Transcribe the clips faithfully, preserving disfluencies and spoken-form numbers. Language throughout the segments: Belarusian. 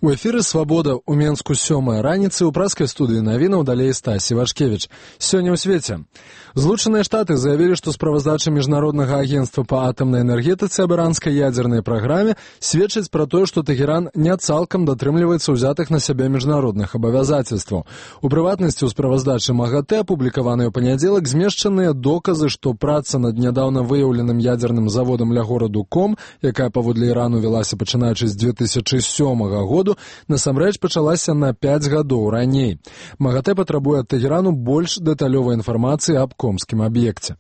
У эфіры «Свабода» ў Менску сёмая раніцы ў праскай студыі навінаў далей Стасі Вашкевіч. Сёння ў свеце. Злучаныя Штаты заявілі, што справаздача Міжнароднага агенцтва па атамнай энергетыцы аб іранскай ядзернай праграме сведчыць пра тое, што Тэгеран не цалкам датрымліваецца ўзятых на сябе міжнародных абавязацельстваў. У прыватнасці, у справаздачы МАГАТЭ, апублікаванай у панядзелак, змешчаныя доказы, што праца над нядаўна выяўленым ядзерным заводам ля гораду Ком, якая паводле Ірану велася пачынаючы з дзве тысячы сёмага году, насамрэч пачалася на пяць гадоў раней. МАГАТЭ патрабуе ад Тэгерану больш дэталёвай інфармацыі аб комскім аб'екце.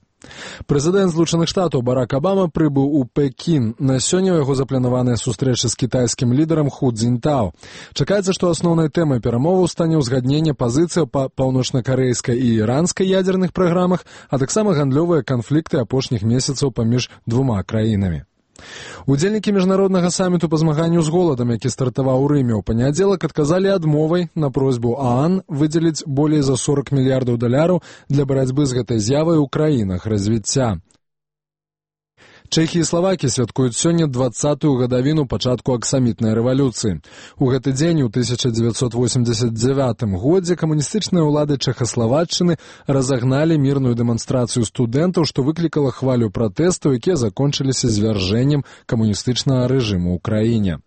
Прэзідэнт Злучаных Штатаў Барак Абама прыбыў у Пекін. На сёння ў яго запланаваная сустрэча з кітайскім лідарам Ху Цзіньтао. Чакаецца, што асноўнай тэмай перамоваў стане ўзгадненне пазіцыяў па паўночна-карэйскай і іранскай ядзерных праграмах, а таксама гандлёвыя канфлікты апошніх месяцаў паміж двума краінамі. Удзельнікі міжнароднага саміту па змаганню з голадам, які стартаваў у Рыме ў панядзелак, адказалі адмовай на просьбу ААН выдзеліць болей за сорок мільярдаў даляраў для барацьбы з гэтай з'явай у краінах развіцця. Чэхія і Славакія святкуюць сёння дваццатую гадавіну пачатку аксамітнай рэвалюцыі. У гэты дзень у тысяча дзевяцьсот восемьдесят девятым годзе камуністычныя ўлады Чэхаславаччыны разагналі мірную дэманстрацыю студэнтаў, што выклікала хвалю пратэстаў, якія закончыліся звяржэннем камуністычнага рэжыму ў краіне.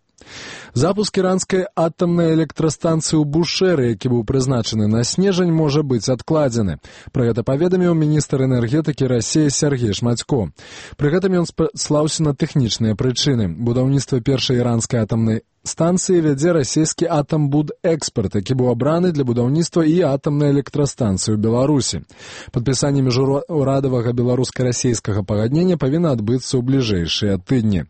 Запуск іранскай атамнай электрастанцыі ў Бушэры, які быў прызначаны на снежань, можа быць адкладзены. Пра гэта паведаміў міністр энергетыкі Расіі Сергей Шмацько. Пры гэтым ён спаслаўся на тэхнічныя прычыны. Будаўніцтва першай іранскай атамнай станцыі вядзе расійскі «Атамбудэкспарт», які быў абраны для будаўніцтва і атамнай электрастанцыі ў Беларусі. Падпісанне міжурадавага беларуска-расійскага пагаднення павінна адбыцца ў бліжэйшыя тыдні.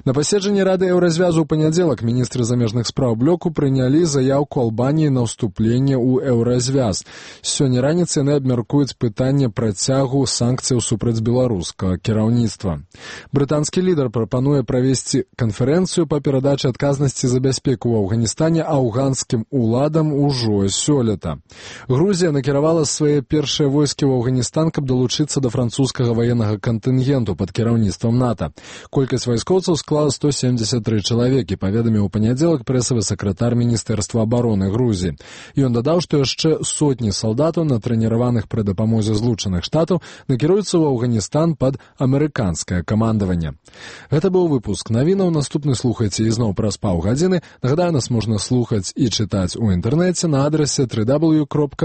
На паседжанні Рады Еўразвязу ў панядзелак міністры замежных спраў блоку прынялі заяўку Албаніі на ўступленне ў Еўразвяз. Сёння раніцай яны абмяркуюць пытанне працягу санкцыяў супраць беларускага кіраўніцтва. Брытанскі лідар прапануе правесці канферэнцыю па перадачы адказнасці за бяспеку ў Афганістане афганскім уладам ужо сёлета. Грузія накіравала свае першыя войскі ў Афганістан, каб далучыцца да французскага ваеннага кантынгенту пад кіраўніцтвам НАТО. Колькасць вайскоўцаў склала сто семьдесят три чалавекі, паведаміў у панядзелак прэсавы сакратар Міністэрства абароны Грузіі. Ён дадаў, што яшчэ сотні салдатаў, натрэніраваных пры дапамозе Злучаных Штатаў, накіруюцца ў Афганістан пад амерыканскае камандаванне. Гэта быў выпуск навінаў. Наступны слухайце ізноў праз паўгадзіны. Нагадаю, нас можна слухаць і чытаць у інтэрнэце на адрасе дабл ю дабл ю дабл ю кропка